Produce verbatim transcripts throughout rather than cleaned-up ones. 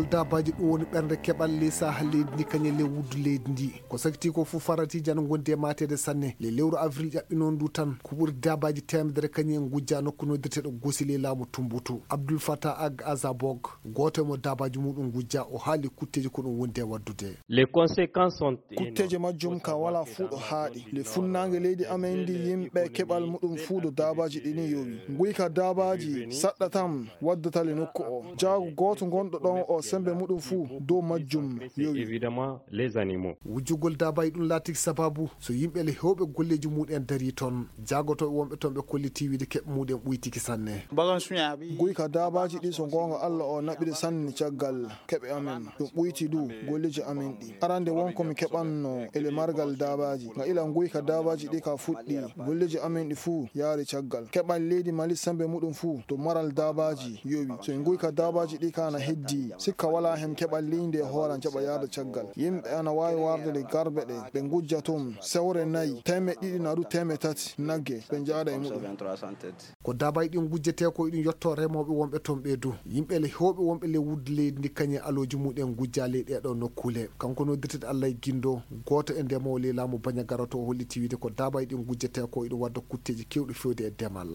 Daabaaji ɗum woni ɓernde keɓal ley saha leydi ndi kañum e ley wuddu leydi ndi. Ko sakiti ko fof faratiiji ana ngondi e maateede sanne. Ley lewru avril ƴaɓɓinoon ndu tan, ko ɓuri daabaaji teemedere kañum en ngujja nokku noddirteeɗo Gosi ley laamu Tumbutu. Abdul Fatah Ag Azabog, gooto e mo daabaaji muɗum ngujja, o haali kutteeji ko ɗum wondi e waɗdude. Les conséquences sont énormes. Kutteeje majjum ka wala fuu ɗo haaɗi. Le funnaange leydi amen ndi yimɓe keɓal muɗum fuu ɗo daabaaji ɗini yowi. Nguyka daabaaji saɗɗa tan waddata le nokku o. Jaago gooto ngonɗo ɗon o sembe muɗum fuu dow majjum yowi. Évidemment, les animaux. Wujjugol daabaaji ɗum laatiki sababu so yimɓe le heewɓe golleeji muɗen darii toon. Jaagotooɓe wonɓe toon ɓe kolliti wiide keɓe muɗen ɓuytiki sanne. Bagan suñaaɓe. Nguyka daabaaji ɗi so goonga Allah o naɓiri sanne caggal keɓe amen. Ɗum ɓuyti du golleeji amen ɗi. Arande won ko mi keɓanno ele margal daabaaji. Nga ila nguyka daabaaji ɗi ka fuɗɗi, golleeji amen ɗi fuu yaari caggal. Keɓal leydi Mali sembe muɗum fuu to maral daabaaji yowi. So en nguyka daabaaji ɗi ka na heddi, sikka wala hen keɓal leydi e hooran jaɓa yaada caggal. Yimɓe ana waawi warde le garbe ɗe, ɓe ngujja toon sewre nayi, teemeɗɗe ɗiɗi na du teemeɗɗe tati nagge, ɓe njaada e muɗum. Ko daabaaji ɗin ngujjetee ko iɗum yotto remooɓe wonɓe toon ɓee du. Yimɓe le heewɓe wonɓe le wuddu leydi ndi kañum e alooji muɗen ngujja ley ɗee ɗoo nokkuule. Kanko noddirteeɗo Allah e Gindo, gooto e ndemoowo ley laamu Bañagara to o holliti wiide ko daabaaji ɗin ngujjetee ko iɗum wadda kutteeji keewɗi feewde e demal.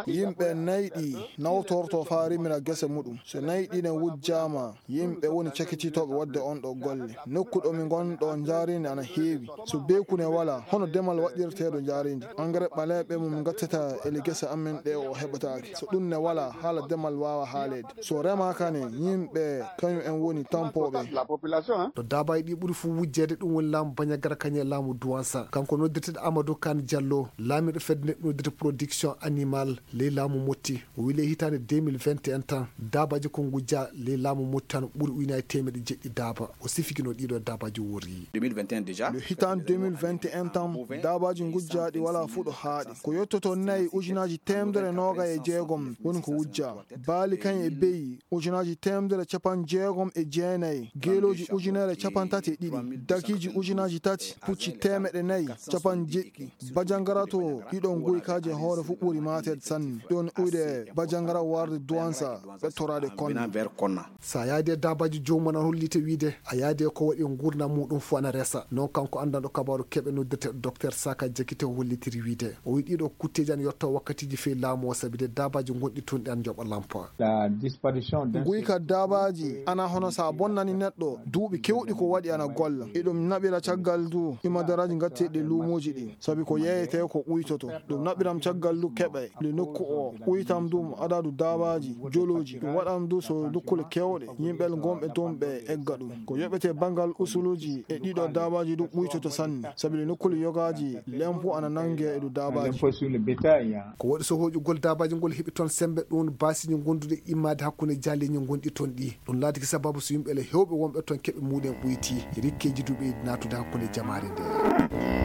Yimɓe nayi ɗi nawtorto faa rimira gese muɗum. So nayi ɗi ne wujjaama, yimɓe woni cakititooɓe waɗde on ɗo golle. Nokku ɗo mi ngon ɗo njaareendi ana heewi. So beeku ne wala, hono demal waɗirteeɗo njaareendi? Engrais ɓaleeɓe mo min ngattata ele gese amen ɗe o heɓataake. So ɗum ne wala, haala demal waawa haaleede. So remaaka ne, yimɓe kañum en woni tampooɓe. Ɗo daabaaji ɗi ɓuri fuu wujjeede ɗum woni laamu Bañagara kañum e laamu Duwansa. Kanko noddirteeɗo Amadou Kane Diallo, laamiiɗo fedde nde noddirte production animal ley laamu Motti. O wi ley hitaande deux mille vingt et un tan, daabaaji ko ngujja ley laamu Motti tan ɓuri ujunaaji teemeɗɗe jeɗɗi daaba. O sifiki no ɗiɗo daabaaji worri. Deux mille vingt et un déjà. Le hitaande deux mille vingt et un tan, daabaaji ngujjaaɗi wala fuu ɗo haaɗi. Ko yottoto nayi ujunaaji teemedere noogay e jeegom woni ko wujjaa. Baali kañ e beyi ujunaaji teemedere capanɗe jeegom e jeenayi, geelooji ujunere capanɗe tati e ɗiɗi, dakiiji ujunaaji tati, pucci teemeɗɗe nayi, capanɗe jeɗɗi. Bajangara to ɗiɗon goykaaji e hoore fuu ɓuri maateede sanne. Ɗon uyde Bajangara warde Duwansa ɓettoraade Konna. So a yaadi e daabaaji joomum ana holliti wiide a yaadi e ko waɗi e nguurndam muɗum fuu ana resa. Noon kanko anndanɗo kabaaru keɓe noddirteeɗo Docteur Saka Jakite o hollitiri wiide o wi ɗiɗo kutteeji ana yotto wakkatiiji fii laamu o sabi de daabaaji gonɗi toon ɗi ana njoɓa lampa. Guyka daabaaji ana hono so a bonnani neɗɗo duuɓi keewɗi ko waɗi ana golla. Eɗum naɓira caggal du imadaraaji ngatteeɗi e luumooji ɗi, sabi ko yeeyetee ko ɓuytoto. Ɗum naɓiram caggal du keɓe le nokku o, ɓuytam du adadu daabaaji, jolooji. Ɗum waɗam du so dukkule keewɗe, yimɓe gonɓe toon ɓe egga ɗum. Ko yoɓetee banngal usuluuji e ɗiɗo daabaaji du ɓuytoto sanne, sabi le nokkule yogaaji lempo ana nannge e du daabaaji. Ko waɗi so hoƴugol daabaaji ngol heɓi toon semmbe ɗum baasiiji gonduɗi immaade hakkunde jaaleeji gonɗi toon ɗi. Ɗum laatiki sababu so yimɓe le heewɓe wonɓe toon keɓe muɗen ɓoyti, rikkeeji du ɓeydi naatude hakkunde jamaare nde.